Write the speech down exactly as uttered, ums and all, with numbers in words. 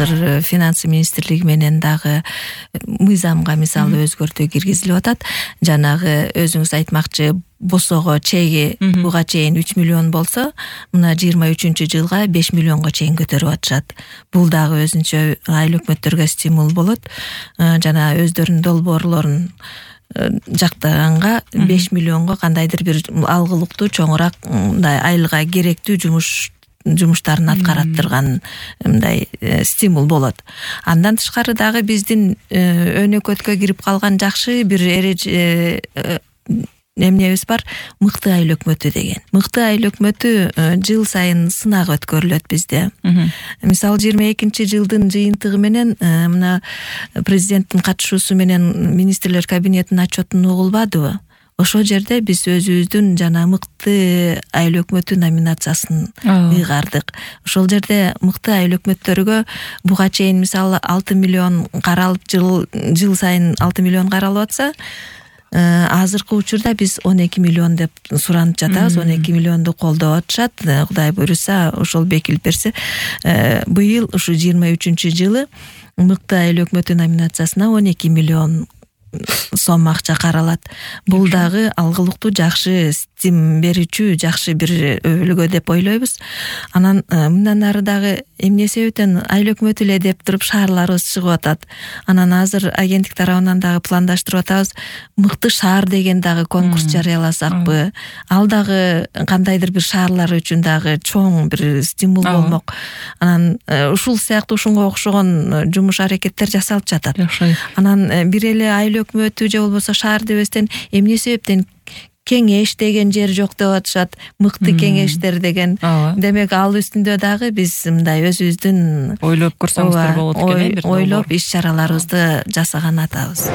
азыр финансы министрлиги менен дагы мыйзамга мисалы өзгөртүү киргизилип атат. Жанагы өзүңүз айтмакчы босого чеги буга чейин үч миллион болсо, мына жыйырма үчүнчү жылга беш миллионго чейин көтөрүп атышат. Бул дагы өзүнчө айыл өкмөттөргө стимул болот. Жана өздөрүнүн долбоорлорун жактаганга беш миллионго кандайдыр бир алгылыктуу чоңураак мындай айылга керектүү жумуш жумуштарын аткараттырган мындай стимул болот. Андан тышкары дагы биздин өнөкөткө кирип калган жакшы бир эреже эмнебиз бар, мыкты айыл өкмөтү деген. Мыкты айыл өкмөтү жыл сайын сынак өткөрүлөт бизде. Мисалы жыйырма экинчи жылдын жыйынтыгы менен мына президенттин катышуусу менен министрлер кабинетинин отчетун угулбадыбы? Ошол жерде биз өзүбүздүн жана мыкты айыл өкмөтү номинациясын ыйгардык. Ошол жерде мыкты айыл өкмөттөргө буга чейин мисалы алты миллион каралып жыл жыл сайын алты миллион каралып атса, азыркы учурда биз он эки миллион деп суранып жатабыз. он эки миллионду колдоп атышат. Кудай буйруса, ошол бекилип берсе, быйыл ушу жыйырма үчүнчү жылы мыкты айыл өкмөтү номинациясына он эки миллион сом акча каралат. Бул дагы алгылыктуу жакшы стим берүүчү жакшы бир өбөлгө деп ойлойбуз. Анан мындан ары дагы эмне себептен айыл өкмөтү эле деп туруп шаарларыбыз чыгып атат. Анан азыр агенттик тарабынан дагы пландаштырып атабыз. Мыкты шаар деген дагы конкурс жарыяласакпы? Ал дагы кандайдыр бир шаарлар үчүн дагы чоң бир стимул болмок. Анан ушул сыяктуу ушунга окшогон жумуш аракеттер жасалып жатат. Анан бир эле айыл өкмөтү же болбосо шаар дебестен эмне себептен кеңеш деген жер жок деп атышат, мыкты кеңештер деген. Демек ал үстүндө дагы биз мындай өзүбүздүн ойлоп көрсөңүздөр болот экен, бир ойлоп иш чараларыбызды жасаган атабыз.